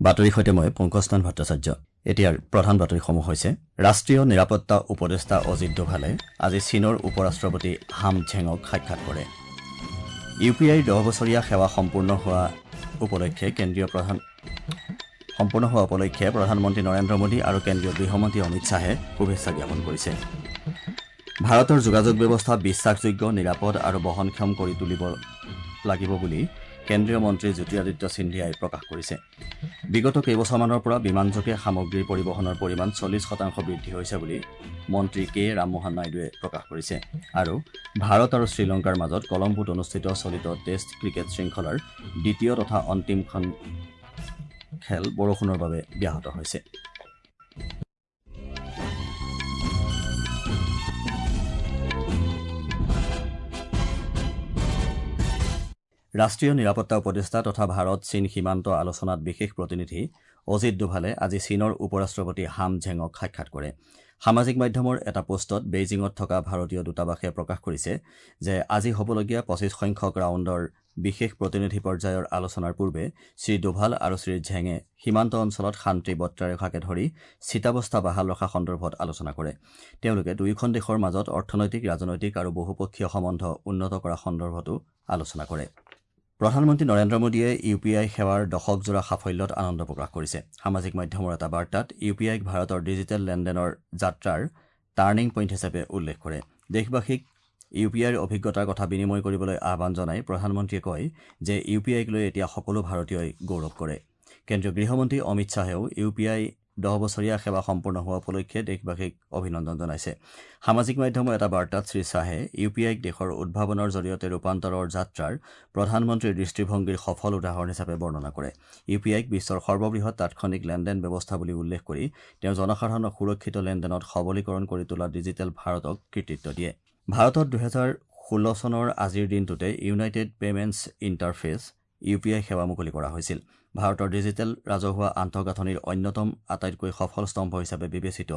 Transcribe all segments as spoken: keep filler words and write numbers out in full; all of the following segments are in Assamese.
বাতৰিৰ সৈতে মই পংকজনাথ ভট্টাচাৰ্য। এতিয়াৰ প্ৰধান বাতৰিসমূহ হৈছে: ৰাষ্ট্ৰীয় নিৰাপত্তা উপদেষ্টা অজিত ডোভালে আজি চীনৰ উপ-ৰাষ্ট্ৰপতি হাম ঝেঙক সাক্ষাৎ কৰে। ইউ পি আইৰ দহ বছৰীয়া সেৱা সম্পূৰ্ণ হোৱা উপলক্ষে কেন্দ্ৰীয় প্ৰধান সম্পূৰ্ণ হোৱা উপলক্ষে প্ৰধানমন্ত্ৰী নৰেন্দ্ৰ মোদী আৰু কেন্দ্ৰীয় গৃহমন্ত্ৰী অমিত শ্বাহে শুভেচ্ছা জ্ঞাপন কৰিছে। ভাৰতৰ যোগাযোগ ব্যৱস্থা বিশ্বাসযোগ্য, নিৰাপদ আৰু বহনক্ষম কৰি তুলিব লাগিব বুলি কেন্দ্ৰীয় মন্ত্ৰী জ্যোতিৰাদিত্য সিন্ধিয়াই প্ৰকাশ কৰিছে। বিগত কেইবছৰমানৰ পৰা বিমানযোগে সামগ্ৰীৰ পৰিবহণৰ পৰিমাণ চল্লিছ শতাংশ বৃদ্ধি হৈছে বুলি মন্ত্ৰী কে ৰামমোহন নাইডুৱে প্ৰকাশ কৰিছে। আৰু ভাৰত আৰু শ্ৰীলংকাৰ মাজত কলম্বোত অনুষ্ঠিত চলিত টেষ্ট ক্ৰিকেট শৃংখলাৰ দ্বিতীয় তথা অন্তিমখন খেল বৰষুণৰ বাবে ব্যাহত হৈছে। ৰাষ্ট্ৰীয় নিৰাপত্তা উপদেষ্টা তথা ভাৰত চীন সীমান্ত আলোচনাত বিশেষ প্ৰতিনিধি অজিত ডোভালে আজি চীনৰ উপ-ৰাষ্ট্ৰপতি হাম ঝেঙক সাক্ষাৎ কৰে। সামাজিক মাধ্যমৰ এটা পোষ্টত বেইজিঙত থকা ভাৰতীয় দূতাবাসে প্ৰকাশ কৰিছে যে আজি হ'বলগীয়া পঁচিছ সংখ্যক ৰাউণ্ডৰ বিশেষ প্ৰতিনিধি পৰ্যায়ৰ আলোচনাৰ পূৰ্বে শ্ৰীডোভাল আৰু শ্ৰীঝেঙে সীমান্ত অঞ্চলত শান্তি বৰ্তাই ৰখাকে ধৰি স্থিতাৱস্থা বাহাল ৰখা সন্দৰ্ভত আলোচনা কৰে। তেওঁলোকে দুয়োখন দেশৰ মাজত অৰ্থনৈতিক, ৰাজনৈতিক আৰু বহুপক্ষীয় সম্বন্ধ উন্নত কৰা সন্দৰ্ভতো আলোচনা কৰে। প্ৰধানমন্ত্ৰী নৰেন্দ্ৰ মোদীয়ে ইউ পি আই সেৱাৰ দশকজোৰা সাফল্যত আনন্দ প্ৰকাশ কৰিছে। সামাজিক মাধ্যমৰ এটা বাৰ্তাত ইউ পি আইক ভাৰতৰ ডিজিটেল লেনদেনৰ যাত্ৰাৰ টাৰ্ণিং পইণ্ট হিচাপে উল্লেখ কৰে। দেশবাসীক ইউ পি আইৰ অভিজ্ঞতাৰ কথা বিনিময় কৰিবলৈ আহ্বান জনাই প্ৰধানমন্ত্ৰীয়ে কয় যে ইউ পি আইক লৈ এতিয়া সকলো ভাৰতীয়ই গৌৰৱ কৰে। কেন্দ্ৰীয় গৃহমন্ত্ৰী অমিত শ্বাহেও ইউ পি আই দহ বছৰীয়া সেৱা সম্পূৰ্ণ হোৱা উপলক্ষে দেশবাসীক অভিনন্দন জনাইছে। সামাজিক মাধ্যমৰ এটা বাৰ্তাত শ্ৰীশ্বাহে ইউ পি আইক দেশৰ উদ্ভাৱনৰ জৰিয়তে ৰূপান্তৰৰ যাত্ৰাৰ প্ৰধানমন্ত্ৰীৰ দৃষ্টিভংগীৰ সফল উদাহৰণ হিচাপে বৰ্ণনা কৰে। ইউ পি আইক বিশ্বৰ সৰ্ববৃহৎ তাৎক্ষণিক লেনদেন ব্যৱস্থা বুলি উল্লেখ কৰি তেওঁ জনসাধাৰণক সুৰক্ষিত লেনদেনত সবলীকৰণ কৰি তোলা ডিজিটেল ভাৰতক কৃতিত্ব দিয়ে। ভাৰতত দুহেজাৰ ষোল্ল চনৰ আজিৰ দিনটোতে United Payments Interface U P I সেৱা মুকলি কৰা হৈছিল। ভাৰতৰ ডিজিটেল ৰাজহুৱা আন্তঃগাঁথনিৰ অন্যতম আটাইতকৈ সফল স্তম্ভ হিচাপে বিবেচিত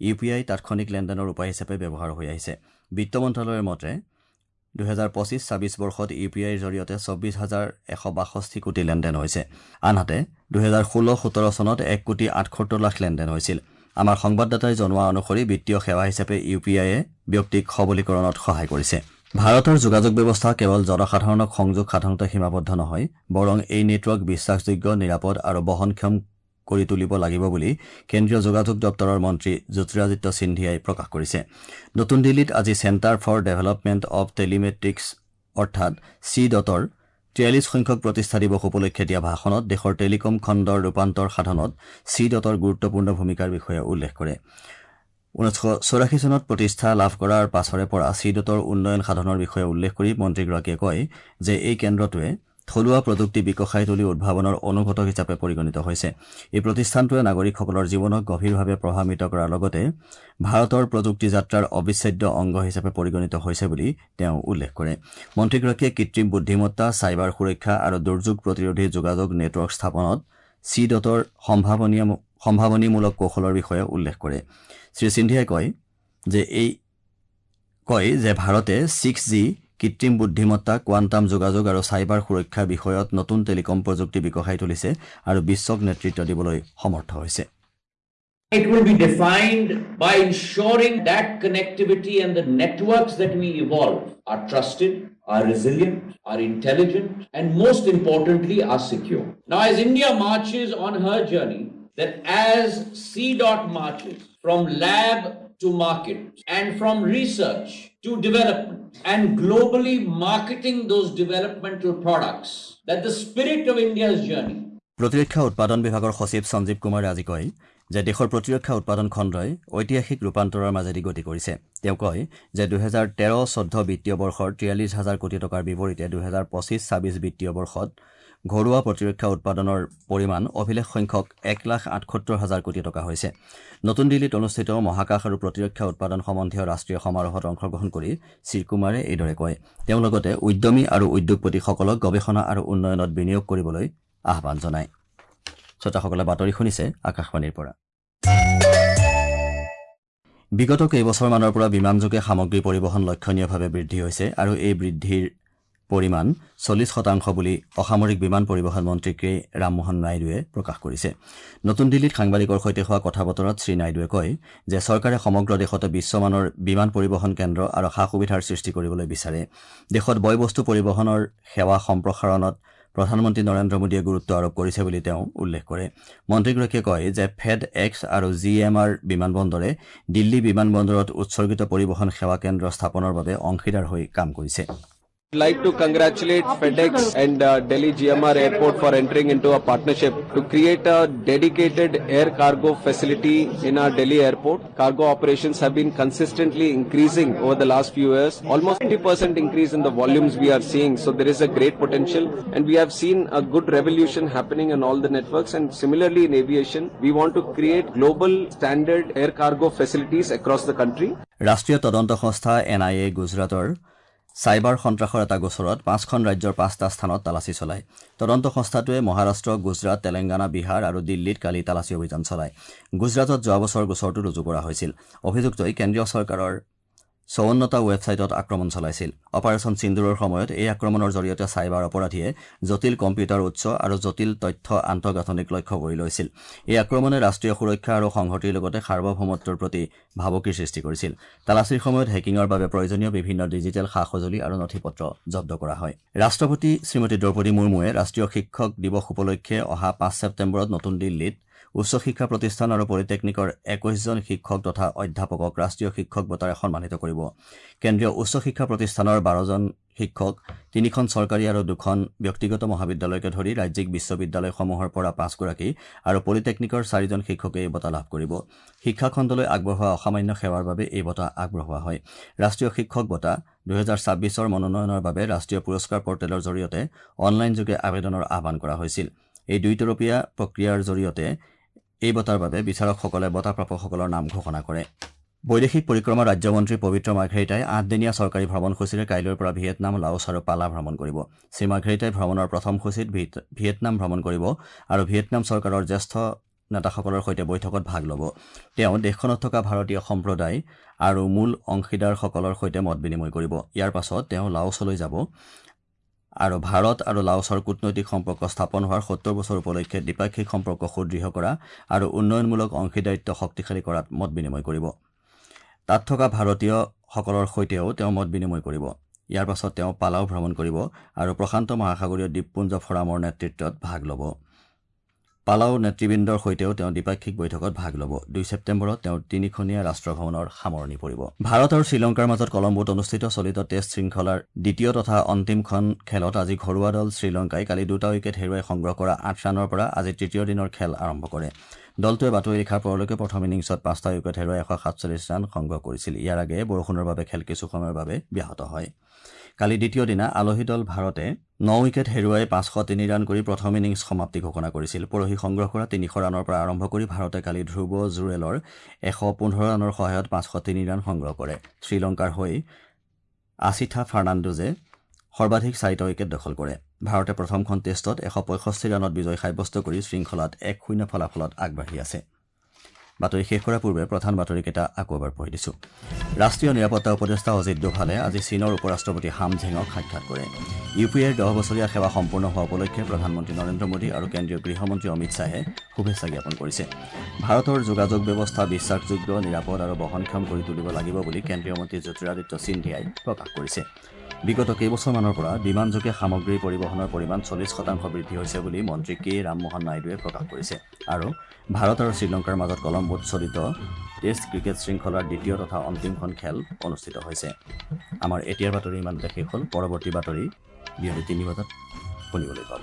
ইউ পি আই তাৎক্ষণিক লেনদেনৰ উপায় হিচাপে ব্যৱহাৰ হৈ আহিছে। বিত্ত মন্ত্ৰালয়ৰ মতে দুহেজাৰ পঁচিছ ছাব্বিছ বৰ্ষত ইউ পি আইৰ জৰিয়তে চৌব্বিছ হাজাৰ এশ বাষষ্ঠি কোটি লেনদেন হৈছে। আনহাতে দুহেজাৰ ষোল্ল সোতৰ চনত এক কোটি আঠসত্তৰ লাখ লেনদেন হৈছিল। আমাৰ সংবাদদাতাই জনোৱা অনুসৰি বিত্তীয় সেৱা হিচাপে ইউ পি আইয়ে ব্যক্তিক সবলীকৰণত সহায় কৰিছে। ভাৰতৰ যোগাযোগ ব্যৱস্থা কেৱল জনসাধাৰণক সংযোগ সাধনতে সীমাবদ্ধ নহয়, বৰং এই নেটৱৰ্ক বিশ্বাসযোগ্য, নিৰাপদ আৰু বহনক্ষম কৰি তুলিব লাগিব বুলি কেন্দ্ৰীয় যোগাযোগ দপ্তৰৰ মন্ত্ৰী জ্যোতিৰাদিত্য সিন্ধিয়াই প্ৰকাশ কৰিছে। নতুন দিল্লীত আজি Centre for Development of Telematics অৰ্থাৎ চি ডটৰ তিয়াল্লিছ সংখ্যক প্ৰতিষ্ঠা দিৱস উপলক্ষে দিয়া ভাষণত দেশৰ টেলিকম খণ্ডৰ ৰূপান্তৰ সাধনত চি ডটৰ গুৰুত্বপূৰ্ণ ভূমিকাৰ বিষয়ে উল্লেখ কৰে। ঊনৈছশ চৌৰাশী চনত প্ৰতিষ্ঠা লাভ কৰাৰ পাছৰে পৰা চি ডটৰ উন্নয়ন সাধনৰ বিষয়ে উল্লেখ কৰি মন্ত্ৰীগৰাকীয়ে কয় যে এই কেন্দ্ৰটোৱে থলুৱা প্ৰযুক্তি বিকশাই তুলি উদ্ভাৱনৰ অনুঘটক হিচাপে পৰিগণিত হৈছে। এই প্ৰতিষ্ঠানটোৱে নাগৰিকসকলৰ জীৱনক গভীৰভাৱে প্ৰভাৱান্বিত কৰাৰ লগতে ভাৰতৰ প্ৰযুক্তি যাত্ৰাৰ অবিচ্ছেদ্য অংগ হিচাপে পৰিগণিত হৈছে বুলি তেওঁ উল্লেখ কৰে। মন্ত্ৰীগৰাকীয়ে কৃত্ৰিম বুদ্ধিমত্তা, চাইবাৰ সুৰক্ষা আৰু দুৰ্যোগ প্ৰতিৰোধী যোগাযোগ নেটৱৰ্ক স্থাপনত চি ডটৰ সম্ভাৱনীয় সম্ভাৱনীমূলক কৌশলৰ বিষয়ে উল্লেখ কৰে। শ্ৰী সিন্ধিয়াই কয় যে এই কয় যে ভাৰতে ছিক্স জি, কৃত্ৰিম বুদ্ধিমত্তা, কোৱাণ্টাম যোগাযোগ আৰু চাইবাৰ সুৰক্ষা বিষয়ত নতুন টেলিকম প্ৰযুক্তি বিকশাই তুলিছে আৰু বিশ্বক নেতৃত্ব দিবলৈ সমৰ্থ হৈছে। It will be defined by ensuring that connectivity and the networks that we evolve are trusted, are resilient, are intelligent, and most importantly, are secure. Now, as India marches on her journey, that as C DOT marches from lab to market and from research to development and globally marketing those developmental products, that the spirit of India's journey. প্ৰতিৰক্ষা উৎপাদন বিভাগৰ সচিব সঞ্জীৱ কুমাৰে আজি কয় যে দেশৰ প্ৰতিৰক্ষা উৎপাদন খণ্ডই ঐতিহাসিক ৰূপান্তৰৰ মাজেদি গতি কৰিছে। তেওঁ কয় যে দুহেজাৰ তেৰ চৈধ্য বিত্তীয় বৰ্ষৰ তিয়াল্লিছ হাজাৰ কোটি টকাৰ বিপৰীতে দুহেজাৰ পঁচিছ ছাব্বিছ বিত্তীয় বৰ্ষত ঘৰুৱা প্ৰতিৰক্ষা উৎপাদনৰ পৰিমাণ অভিলেখ সংখ্যক এক লাখ আঠসত্তৰ হাজাৰ কোটি টকা হৈছে। নতুন দিল্লীত অনুষ্ঠিত মহাকাশ আৰু প্ৰতিৰক্ষা উৎপাদন সম্বন্ধীয় ৰাষ্ট্ৰীয় সমাৰোহত অংশগ্ৰহণ কৰি শ্ৰীকুমাৰে এইদৰে কয়। তেওঁ লগতে উদ্যমী আৰু উদ্যোগপতিসকলক গৱেষণা আৰু উন্নয়নত বিনিয়োগ কৰিবলৈ আহ্বান জনায়। শ্ৰোতাসকলে বাতৰি শুনিছে আকাশবাণীৰ পৰা। বিগত কেইবছৰমানৰ পৰা বিমানযোগে সামগ্ৰী পৰিবহণ লক্ষণীয়ভাৱে বৃদ্ধি হৈছে আৰু এই বৃদ্ধিৰ পৰিমাণ চল্লিছ শতাংশ বুলি অসামৰিক বিমান পৰিবহণ মন্ত্ৰী কে ৰামমোহন নাইডুৱে প্ৰকাশ কৰিছে। নতুন দিল্লীত সাংবাদিকৰ সৈতে হোৱা কথা বতৰাত শ্ৰীনাইডুৱে কয় যে চৰকাৰে সমগ্ৰ দেশতে বিশ্বমানৰ বিমান পৰিবহণ কেন্দ্ৰ আৰু সা সুবিধাৰ সৃষ্টি কৰিবলৈ বিচাৰে। দেশত বয় বস্তু পৰিবহণৰ সেৱা সম্প্ৰসাৰণত প্ৰধানমন্ত্ৰী নৰেন্দ্ৰ মোদীয়ে গুৰুত্ব আৰোপ কৰিছে বুলি তেওঁ উল্লেখ কৰে। মন্ত্ৰীগৰাকীয়ে কয় যে ফেড এক্স আৰু জি এম আৰ বিমানবন্দৰে দিল্লী বিমানবন্দৰত উৎসৰ্গিত পৰিবহণ সেৱা কেন্দ্ৰ স্থাপনৰ বাবে অংশীদাৰ হৈ কাম কৰিছে। I'd like to congratulate FedEx and uh, Delhi G M R Airport for entering into a partnership to create a dedicated air cargo facility in our Delhi airport. Cargo operations have been consistently increasing over the last few years, almost twenty percent increase in the volumes we are seeing. So there is a great potential, and we have seen a good revolution happening in all the networks, and similarly in aviation, we want to create global standard air cargo facilities across the country. ৰাষ্ট্ৰীয় তদন্ত সংস্থা এন I A গুজৰাটৰ চাইবাৰ সন্ত্ৰাসৰ এটা গোচৰত পাঁচখন ৰাজ্যৰ পাঁচটা স্থানত তালাচী চলায়। তদন্ত সংস্থাটোৱে মহাৰাষ্ট্ৰ, গুজৰাট, তেলেংগানা, বিহাৰ আৰু দিল্লীত কালি তালাচী অভিযান চলায়। গুজৰাটত যোৱা বছৰ গোচৰটো ৰুজু কৰা হৈছিল। অভিযুক্তই কেন্দ্ৰীয় চৰকাৰৰ চৌৱন্নটা ৱেবছাইটত আক্ৰমণ চলাইছিল। অপাৰেচন সিন্দুৰৰ সময়ত এই আক্ৰমণৰ জৰিয়তে চাইবাৰ অপৰাধীয়ে জটিল কম্পিউটাৰ উৎস আৰু জটিল তথ্য আন্তঃগাঁথনিক লক্ষ্য কৰি লৈছিল। এই আক্ৰমণে ৰাষ্ট্ৰীয় সুৰক্ষা আৰু সংহতিৰ লগতে সাৰ্বভৌমত্বৰ প্ৰতি ভাবুকিৰ সৃষ্টি কৰিছিল। তালাচীৰ সময়ত হেকিঙৰ বাবে প্ৰয়োজনীয় বিভিন্ন ডিজিটেল সা সঁজুলি আৰু নথি পত্ৰ জব্দ কৰা হয়। ৰাষ্ট্ৰপতি শ্ৰীমতী দ্ৰৌপদী মুৰ্মুৱে ৰাষ্ট্ৰীয় শিক্ষক দিৱস উপলক্ষে অহা পাঁচ ছেপ্টেম্বৰত নতুন দিল্লীত উচ্চ শিক্ষা প্ৰতিষ্ঠান আৰু পলিটেকনিকৰ একৈশজন শিক্ষক তথা অধ্যাপকক ৰাষ্ট্ৰীয় শিক্ষক বঁটাৰে সন্মানিত কৰিব। কেন্দ্ৰীয় উচ্চ শিক্ষা প্ৰতিষ্ঠানৰ বাৰজন শিক্ষক, তিনিখন চৰকাৰী আৰু দুখন ব্যক্তিগত মহাবিদ্যালয়কে ধৰি ৰাজ্যিক বিশ্ববিদ্যালয়সমূহৰ পৰা পাঁচগৰাকী আৰু পলিটেকনিকৰ চাৰিজন শিক্ষকে এই বঁটা লাভ কৰিব। শিক্ষাখণ্ডলৈ আগবঢ়োৱা অসামান্য সেৱাৰ বাবে এই বঁটা আগবঢ়োৱা হয়। ৰাষ্ট্ৰীয় শিক্ষক বঁটা দুহেজাৰ ছাব্বিছৰ মনোনয়নৰ বাবে ৰাষ্ট্ৰীয় পুৰস্কাৰ পৰ্টেলৰ জৰিয়তে অনলাইনযোগে আবেদনৰ আহ্বান কৰা হৈছিল। এই দুইতৰপীয়া প্ৰক্ৰিয়াৰ জৰিয়তে এই বঁটাৰ বাবে বিচাৰকসকলে বঁটা প্ৰাপকসকলৰ নাম ঘোষণা কৰে। বৈদেশিক পৰিক্ৰমা ৰাজ্যমন্ত্ৰী পবিত্ৰ মাৰ্ঘেৰিটাই আঠদিনীয়া চৰকাৰী ভ্ৰমণসূচীৰে কাইলৈৰ পৰা ভিয়েটনাম, লাওছ আৰু পালা ভ্ৰমণ কৰিব। শ্ৰীমাৰ্ঘেৰিটাই ভ্ৰমণৰ প্ৰথম সূচীত ভিয়েটনাম ভ্ৰমণ কৰিব আৰু ভিয়েটনাম চৰকাৰৰ জ্যেষ্ঠ নেতাসকলৰ সৈতে বৈঠকত ভাগ ল'ব। তেওঁ দেশখনত থকা ভাৰতীয় সম্প্ৰদায় আৰু মূল অংশীদাৰসকলৰ সৈতে মত বিনিময় কৰিব। ইয়াৰ পাছত তেওঁ লাওছলৈ যাব আৰু ভাৰত আৰু লাওছৰ কূটনৈতিক সম্পৰ্ক স্থাপন হোৱাৰ সত্তৰ বছৰ উপলক্ষে দ্বিপাক্ষিক সম্পৰ্ক সুদৃঢ় কৰা আৰু উন্নয়নমূলক অংশীদাৰিত্ব শক্তিশালী কৰাত মত বিনিময় কৰিব। তাত থকা ভাৰতীয়সকলৰ সৈতেও তেওঁ মত বিনিময় কৰিব। ইয়াৰ পাছত তেওঁ পালাও ভ্ৰমণ কৰিব আৰু প্ৰশান্ত মহাসাগৰীয় দ্বীপপুঞ্জ ফৰামৰ নেতৃত্বত ভাগ ল'ব। পালাও নেতৃবৃন্দৰ সৈতেও তেওঁ দ্বিপাক্ষিক বৈঠকত ভাগ ল'ব। দুই ছেপ্টেম্বৰত তেওঁ তিনিখনীয়া ৰাষ্ট্ৰ ভ্ৰমণৰ সামৰণি পৰিব। ভাৰত আৰু শ্ৰীলংকাৰ মাজত কলম্বোত অনুষ্ঠিত চলিত টেষ্ট শৃংখলাৰ দ্বিতীয় তথা অন্তিমখন খেলত আজি ঘৰুৱা দল শ্ৰীলংকাই কালি দুটা উইকেট হেৰুৱাই সংগ্ৰহ কৰা আঠ ৰানৰ পৰা আজি তৃতীয় দিনৰ খেল আৰম্ভ কৰে। দলটোৱে বাতৰি লিখাৰ পৰলৈকে প্ৰথম ইনিংছত পাঁচটা উইকেট হেৰুৱাই এশ সাতচল্লিছ ৰান সংগ্ৰহ কৰিছিল। ইয়াৰ আগেয়ে বৰষুণৰ বাবে খেল কিছু সময়ৰ বাবে ব্যাহত হয়। কালি দ্বিতীয় দিনা আলহী দল ভাৰতে ন উইকেট হেৰুৱাই পাঁচশ তিনি ৰান কৰি প্ৰথম ইনিংছ সমাপ্তি ঘোষণা কৰিছিল। পৰহি সংগ্ৰহ কৰা তিনিশ ৰানৰ পৰা আৰম্ভ কৰি ভাৰতে কালি ধ্ৰুৱ জুৰেলৰ এশ পোন্ধৰ ৰানৰ সহায়ত পাঁচশ তিনি ৰান সংগ্ৰহ কৰে। শ্ৰীলংকাৰ হৈ আছিথা ফাৰ্ণাণ্ডোজে সৰ্বাধিক চাৰিটা উইকেট দখল কৰে। ভাৰতে প্ৰথমখন টেষ্টত এশ পঁয়ষষ্ঠি ৰানত বিজয় সাব্যস্ত কৰি শৃংখলাত এক শূন্য ফলাফলত আগবাঢ়ি আছে। বাতৰি শেষ কৰাৰ পূৰ্বে প্ৰধান বাতৰিকেইটা আকৌ এবাৰ পঢ়ি দিছোঁ। ৰাষ্ট্ৰীয় নিৰাপত্তা উপদেষ্টা অজিত ডোভালে আজি চীনৰ উপ-ৰাষ্ট্ৰপতি হাম ঝেঙক সাক্ষাৎ কৰে। ইউ পি এৰ দহ বছৰীয়া সেৱা সম্পূৰ্ণ হোৱা উপলক্ষে প্ৰধানমন্ত্ৰী নৰেন্দ্ৰ মোদী আৰু কেন্দ্ৰীয় গৃহমন্ত্ৰী অমিত শ্বাহে শুভেচ্ছা জ্ঞাপন কৰিছে। ভাৰতৰ যোগাযোগ ব্যৱস্থা বিশ্বাসযোগ্য, নিৰাপদ আৰু বহনক্ষম কৰি তুলিব লাগিব বুলি কেন্দ্ৰীয় মন্ত্ৰী জ্যোতিৰাদিত্য সিন্ধিয়াই প্ৰকাশ কৰিছে। বিগত কেইবছৰমানৰ পৰা বিমানযোগে সামগ্ৰী পৰিবহণৰ পৰিমাণ চল্লিছ শতাংশ বৃদ্ধি হৈছে বুলি মন্ত্ৰী কে ৰামমোহন নাইডুৱে প্ৰকাশ কৰিছে। আৰু ভাৰত আৰু শ্ৰীলংকাৰ মাজত কলম্বোত চলিত টেষ্ট ক্ৰিকেট শৃংখলাৰ দ্বিতীয় তথা অন্তিমখন খেল অনুষ্ঠিত হৈছে। আমাৰ এতিয়াৰ বাতৰি ইমানতে শেষ হ'ল। পৰৱৰ্তী বাতৰি বিয়লি তিনি বজাত শুনিবলৈ পাব।